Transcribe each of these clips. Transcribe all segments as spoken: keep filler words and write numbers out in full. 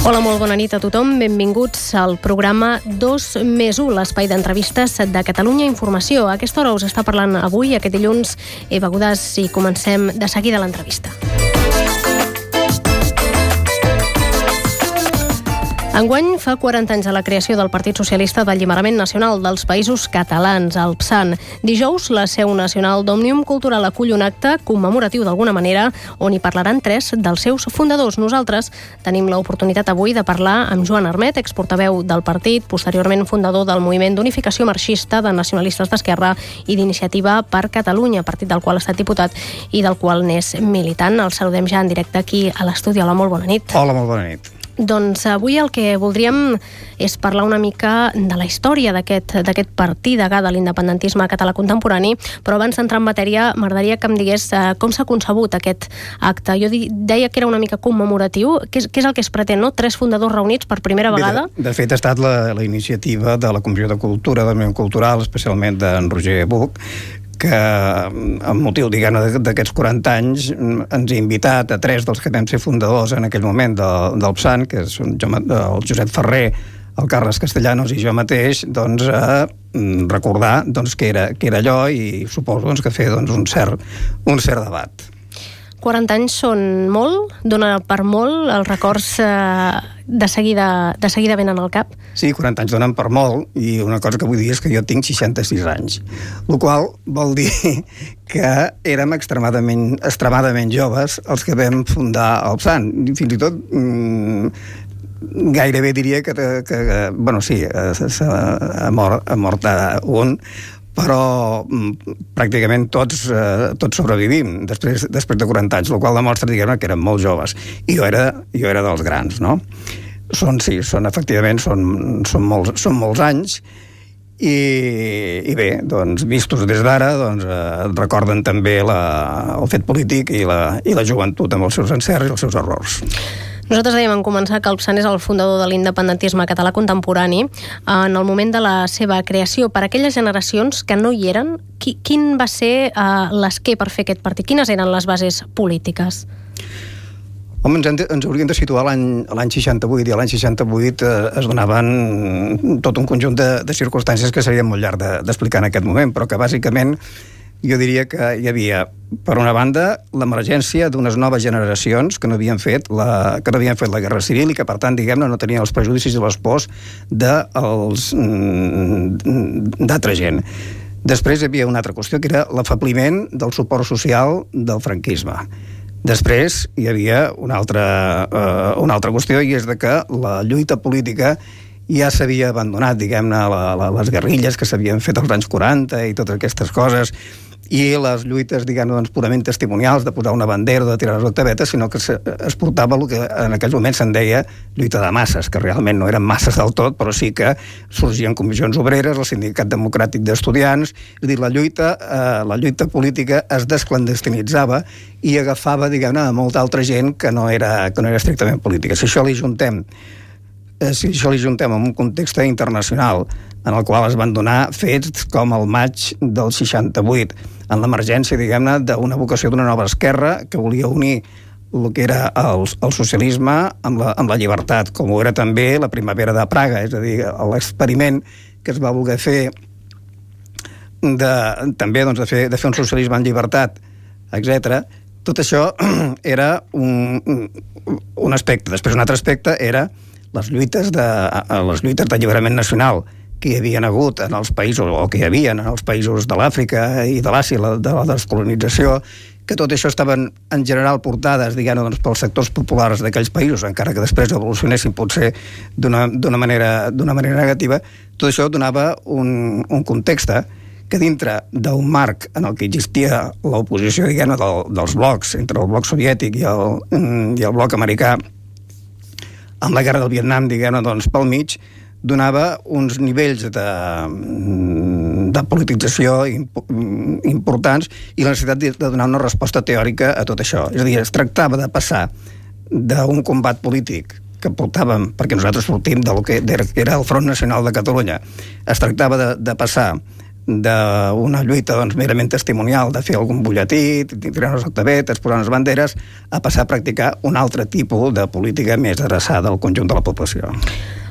Hola, molt bona nit a tothom. Benvinguts al programa dos més u, l'espai d'entrevistes de Catalunya Informació. A aquesta hora us està parlant avui, aquest dilluns, Eva Godàs, i comencem de seguida l'entrevista. Enguany fa quaranta anys de la creació del Partit Socialista d'Alliberament Nacional dels Països Catalans, el P SAN. Dijous, la seu nacional d'Òmnium Cultural acull un acte commemoratiu d'alguna manera on hi parlaran tres dels seus fundadors. Nosaltres tenim l'oportunitat avui de parlar amb Joan Armet, exportaveu del partit, posteriorment fundador del Moviment d'Unificació Marxista de Nacionalistes d'Esquerra i d'Iniciativa per Catalunya, partit del qual ha estat diputat i del qual n'és militant. El saludem ja en directe aquí a l'estudi. Hola, molt bona nit. Hola, molt bona nit. Doncs avui el que voldríem és parlar una mica de la història d'aquest d'aquest partit degà de l'independentisme català contemporani, però abans d'entrar en matèria m'agradaria que em digués eh, com s'ha concebut aquest acte. Jo di, deia que era una mica commemoratiu. Què és, què és el que es pretén, no? Tres fundadors reunits per primera vegada? Bé, de, de fet, ha estat la, la iniciativa de la Comissió de Cultura del Moviment Cultural, especialment d'en Roger Buch, que amb motiu, diguem-ne, d'aquests quaranta anys ens ha invitat a tres dels que vam ser fundadors en aquell moment del, del P SAN, que són el Josep Ferrer, el Carles Castellanos i jo mateix, doncs, a recordar doncs, que, era, que era allò, i suposo doncs, que fer doncs, un, cert, un cert debat. quaranta anys són molt? Dona per molt? Els records eh, de, seguida, de seguida venen al cap? Sí, quaranta anys donen per molt, i una cosa que vull dir és que jo tinc seixanta-sis anys, el qual vol dir que érem extremadament, extremadament joves els que vam fundar el P SAN. Fins i tot mmm, gairebé diria que, que, que bueno, sí, ha mort, ha mort un, però pràcticament tots, eh, tots sobrevivim després, després de quaranta anys, el qual demostra, diguem-ne, que érem molt joves. I jo era, jo era dels grans, no? Són, sí, són, efectivament, són, són, molts, són molts anys, i, i bé, doncs, vistos des d'ara, doncs, eh, recorden també la, el fet polític i la, i la joventut amb els seus encerts i els seus errors. Nosaltres dèiem en començar que el P SAN és el fundador de l'independentisme català contemporani. En el moment de la seva creació, per aquelles generacions que no hi eren, qui, quin va ser uh, l'esquer per fer aquest partit? Quines eren les bases polítiques? Home, ens, de, ens hauríem de situar l'any seixanta-vuit, i l'any seixanta-vuit eh, es donaven tot un conjunt de, de circumstàncies que seria molt llarg d'explicar de, en aquest moment, però que bàsicament jo diria que hi havia, per una banda, l'emergència d'unes noves generacions que no havien fet la, que no havien fet la Guerra Civil i que, per tant, diguem-ne, no tenien els prejudicis i les pors d'altra gent. Després hi havia una altra qüestió, que era l'afebliment del suport social del franquisme. Després hi havia una altra, eh, una altra qüestió, i és de que la lluita política ja s'havia abandonat, diguem-ne, la, la, les guerrilles que s'havien fet als anys quaranta i totes aquestes coses, i les lluites, diguem-ne, doncs, purament testimonials, de posar una bandera o de tirar les octavetes, sinó que es portava el que en aquells moments se'n deia lluita de masses, que realment no eren masses del tot, però sí que sorgien comissions obreres, el Sindicat Democràtic d'Estudiants, és a dir, la lluita, eh, la lluita política es desclandestinitzava i agafava, diguem-ne, a molta altra gent que no era, que no era estrictament política. Si això li juntem si això li juntem en un context internacional en el qual es van donar fets com el maig del seixanta-vuit, en l'emergència, diguem-ne, d'una vocació d'una nova esquerra que volia unir el que era el, el socialisme amb la, amb la llibertat, com ho era també la primavera de Praga, és a dir, l'experiment que es va voler fer de, també doncs, de, fer, de fer un socialisme en llibertat, etcètera. Tot això era un, un aspecte. Després un altre aspecte era les lluites de, les lluites d'alliberament nacional que hi havia hagut en els països, o que hi havia en els països de l'Àfrica i de l'Àsia, de la descolonització, que tot això estaven en general portades, diguem-ne, doncs, pels sectors populars d'aquells països, encara que després evolucionessin potser d'una, d'una manera, d'una manera negativa. Tot això donava un, un context que dintre d'un marc en el que existia l'oposició, diguem-ne, del, dels blocs, entre el bloc soviètic i el, i el bloc americà, amb la guerra del Vietnam, diguem-ne, doncs, pel mig, donava uns nivells de, de politització importants i la necessitat de donar una resposta teòrica a tot això. És a dir, es tractava de passar d'un combat polític que portàvem, perquè nosaltres sortim del que era el Front Nacional de Catalunya, es tractava de, de passar d'una lluita doncs, merament testimonial, de fer algun butlletí, tirar unes octavetes, posar unes banderes, a passar a practicar un altre tipus de política més adreçada al conjunt de la població.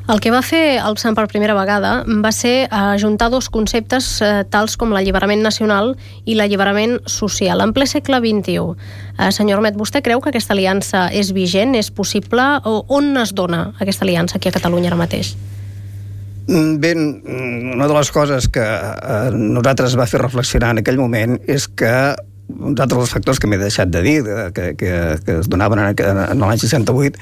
El que va fer el PSAN per primera vegada va ser ajuntar dos conceptes eh, tals com l'alliberament nacional i l'alliberament social, en ple segle vint-i-u. Eh, senyor Ormet, vostè creu que aquesta aliança és vigent, és possible? O on es dona aquesta aliança aquí a Catalunya ara mateix? Bé, una de les coses que eh, nosaltres va fer reflexionar en aquell moment és que uns altres factors que m'he deixat de dir, que, que, que es donaven en, en l'any seixanta-vuit,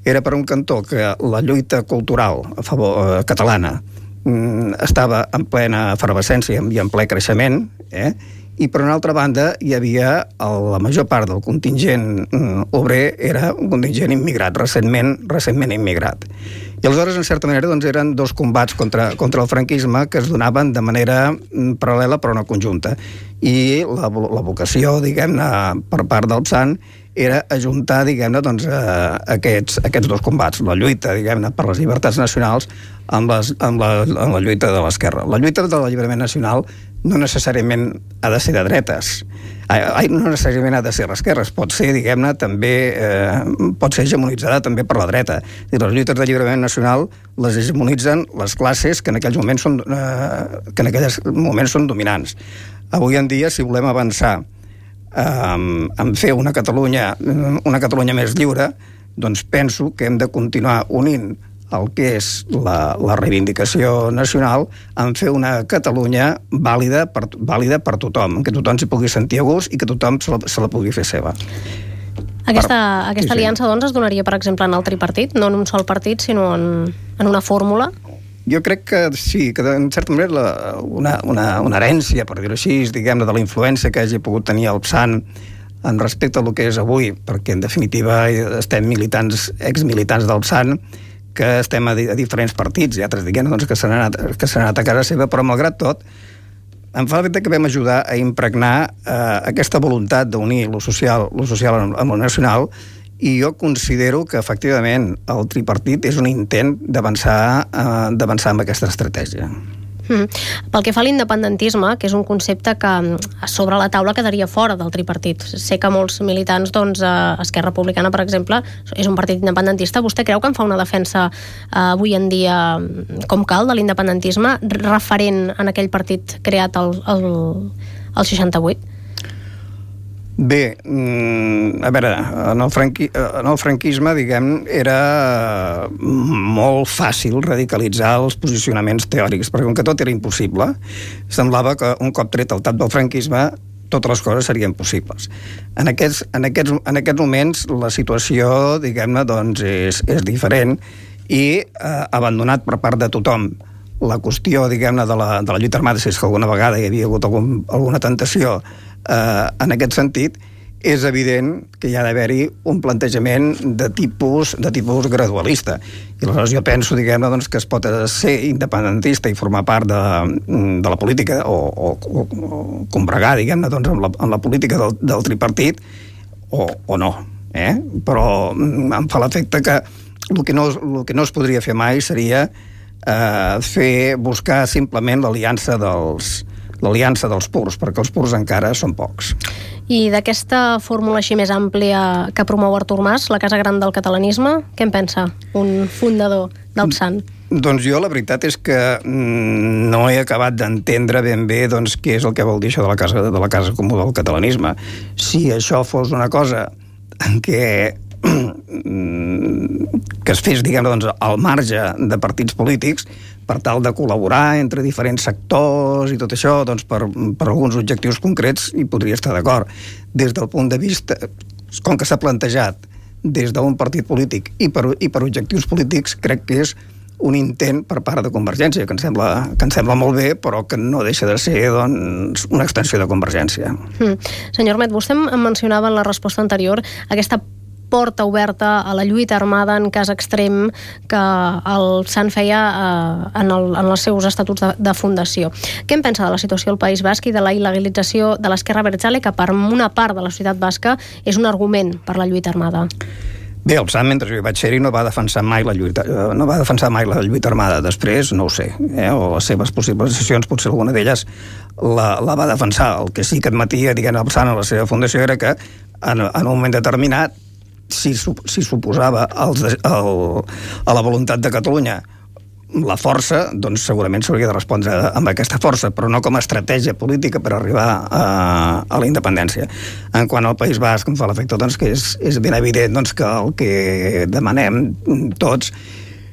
era per un cantó que la lluita cultural a favor eh, catalana mm, estava en plena efervescència i en ple creixement, eh? I per una altra banda hi havia el, la major part del contingent mm, obrer era un contingent immigrat, recentment, recentment immigrat. I aleshores, en certa manera, doncs, eren dos combats contra, contra el franquisme que es donaven de manera mm, paral·lela però no conjunta. I la, la vocació, diguem-ne, per part del PSAN era ajuntar, diguem-ne, doncs, eh, aquests, aquests dos combats, la lluita, diguem-ne, per les llibertats nacionals amb, les, amb, la, amb la lluita de l'esquerra. La lluita de l'alliberament nacional no necessàriament ha de ser de dretes, ai, no necessàriament ha de ser d'esquerres, pot ser, diguem-ne, també eh, pot ser hegemonitzada també per la dreta. I les lluites d'alliberament nacional les hegemonitzen les classes que en aquells moments són, eh, que en aquells moments són dominants. Avui en dia, si volem avançar Um, en fer una Catalunya una Catalunya més lliure, doncs penso que hem de continuar unint el que és la, la reivindicació nacional en fer una Catalunya vàlida per, vàlida per tothom, que tothom s'hi pugui sentir a gust i que tothom se la, se la pugui fer seva. Aquesta, per... aquesta sí, aliança, doncs, es donaria, per exemple, en el tripartit, no en un sol partit, sinó en, en una fórmula? Jo crec que sí, que en certa manera la, una, una, una herència, per dir-ho així, diguem-ne, de la influència que hagi pogut tenir el PSAN en respecte al que és avui, perquè en definitiva estem militants, exmilitants del PSAN, que estem a, di a diferents partits, i altres, diguem-ne, doncs, que s'han anat, que s'han anat a casa seva, però malgrat tot, em fa l'efecte que vam ajudar a impregnar eh, aquesta voluntat d'unir lo social, lo social amb, amb lo nacional, i jo considero que, efectivament, el tripartit és un intent d'avançar eh, d'avançar amb aquesta estratègia. Mm. Pel que fa a l'independentisme, que és un concepte que sobre la taula quedaria fora del tripartit. Sé que molts militants, doncs, Esquerra Republicana, per exemple, és un partit independentista. Vostè creu que en fa una defensa eh, avui en dia com cal de l'independentisme, referent en aquell partit creat el, el, el seixanta-vuit? Bé, a veure, en el, franqui, en el franquisme, diguem, era molt fàcil radicalitzar els posicionaments teòrics, perquè com que tot era impossible, semblava que un cop tret el tap del franquisme totes les coses serien possibles. En aquests, en aquests, en aquests moments la situació, diguem-ne, doncs és, és diferent i eh, abandonat per part de tothom la qüestió, diguem-ne, de, la, de la lluita armada, si és que alguna vegada hi havia hagut algun, alguna tentació eh, en aquest sentit, és evident que hi ha d'haver-hi un plantejament de tipus, de tipus gradualista. I aleshores jo penso, diguem-ne, doncs, que es pot ser independentista i formar part de, de la política o, o, o, o combregar, diguem-ne, doncs, amb, la, amb la política del, del tripartit o, o no. Eh? Però em fa l'efecte que el que, no, el que no es podria fer mai seria eh, fer, buscar simplement l'aliança dels l'aliança dels purs, perquè els purs encara són pocs. I d'aquesta fórmula així més àmplia que promou Artur Mas, la Casa Gran del catalanisme, què en pensa un fundador del PSAN? Doncs jo la veritat és que no he acabat d'entendre ben bé doncs, què és el que vol dir això de la Casa, de la casa Comú del catalanisme. Si això fos una cosa que que es fes, diguem, doncs, al marge de partits polítics per tal de col·laborar entre diferents sectors i tot això, doncs, per, per alguns objectius concrets hi podria estar d'acord. Des del punt de vista, com que s'ha plantejat des d'un partit polític i per, i per objectius polítics, crec que és un intent per part de Convergència, que em sembla, que em sembla molt bé, però que no deixa de ser, doncs, una extensió de Convergència. Mm. Senyor Ormet, vostè em mencionava en la resposta anterior aquesta porta oberta a la lluita armada en cas extrem que el PSAN feia eh, en, el, en els seus estatuts de, de fundació. Què en pensa de la situació al País Basc i de la il·legalització de l'esquerra abertzale, que per una part de la societat basca és un argument per la lluita armada? Bé, el Psan, mentre jo hi vaig ser-hi, no va defensar mai la lluita, no va defensar mai la lluita armada. Després, no ho sé, eh? o les seves possibles decisions, potser alguna d'elles la, la va defensar. El que sí que admetia, diguem, el Psan a la seva fundació era que en, en un moment determinat, si, si suposava els, el, a la voluntat de Catalunya la força, doncs segurament s'hauria de respondre amb aquesta força, però no com a estratègia política per arribar a, a la independència. En quant al País Basc, em fa l'efecte doncs, que és, és ben evident doncs, que el que demanem tots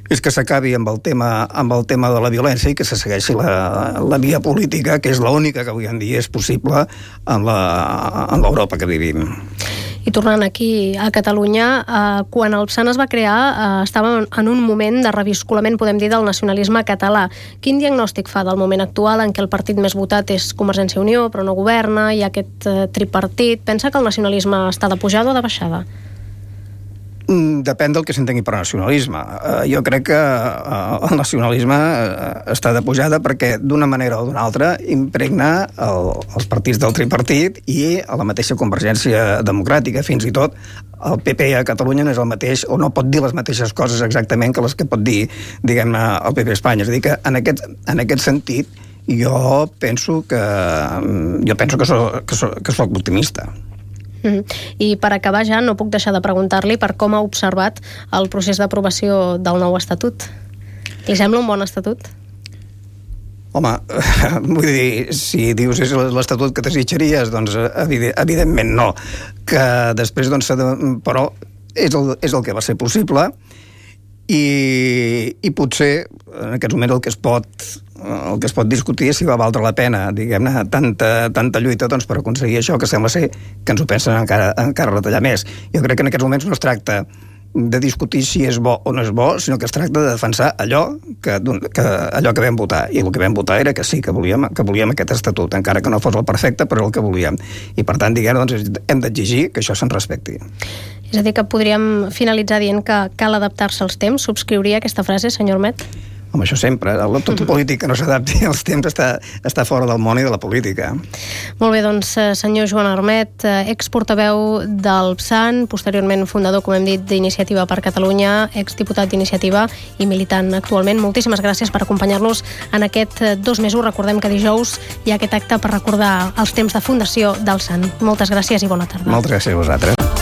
és que s'acabi amb el tema amb el tema de la violència i que se segueixi la, la via política, que és l'única que avui en dia és possible en l'Europa que vivim. I tornant aquí a Catalunya, eh, quan el Psan es va crear, eh, estàvem en un moment de reviscolament, podem dir, del nacionalisme català. Quin diagnòstic fa del moment actual en què el partit més votat és Convergència i Unió, però no governa, hi ha aquest eh, tripartit? Pensa que el nacionalisme està de pujada o de baixada? Depèn del que s'entengui per nacionalisme. Uh, jo crec que uh, el nacionalisme uh, està de pujada perquè d'una manera o d'una altra impregna el, els partits del tripartit i a la mateixa Convergència Democràtica. Fins i tot el P P a Catalunya no és el mateix, o no pot dir les mateixes coses exactament que les que pot dir, diguem-ne, el P P a Espanya. És a dir, que en aquest, en aquest sentit jo penso que jo penso que soc, que soc, que soc optimista. Mm. I per acabar ja no puc deixar de preguntar-li per com ha observat el procés d'aprovació del nou estatut. Li sembla un bon estatut? Home, vull dir, si dius és l'estatut que desitjaries, doncs evidentment no. Que després, doncs, però és el, és el que va ser possible i, i potser en aquest moment el que es pot el que es pot discutir és si va valdre la pena, diguem-ne, tanta, tanta lluita doncs, per aconseguir això, que sembla ser que ens ho pensen encara, encara retallar més. Jo crec que en aquests moments no es tracta de discutir si és bo o no és bo, sinó que es tracta de defensar allò que, que, allò que vam votar. I el que vam votar era que sí, que volíem, que volíem aquest estatut, encara que no fos el perfecte, però el que volíem. I per tant, diguem, doncs, hem d'exigir que això se'n respecti. És a dir, que podríem finalitzar dient que cal adaptar-se als temps. Subscriuria aquesta frase, senyor Armet? Home, això sempre. Tot polític que no s'adapti als temps està, està fora del món i de la política. Molt bé, doncs, senyor Joan Armet, exportaveu del Psan, posteriorment fundador, com hem dit, d'Iniciativa per Catalunya, exdiputat d'Iniciativa i militant actualment. Moltíssimes gràcies per acompanyar-nos en aquest dos mesos. Recordem que dijous hi ha aquest acte per recordar els temps de fundació del Psan. Moltes gràcies i bona tarda. Moltes gràcies a vosaltres.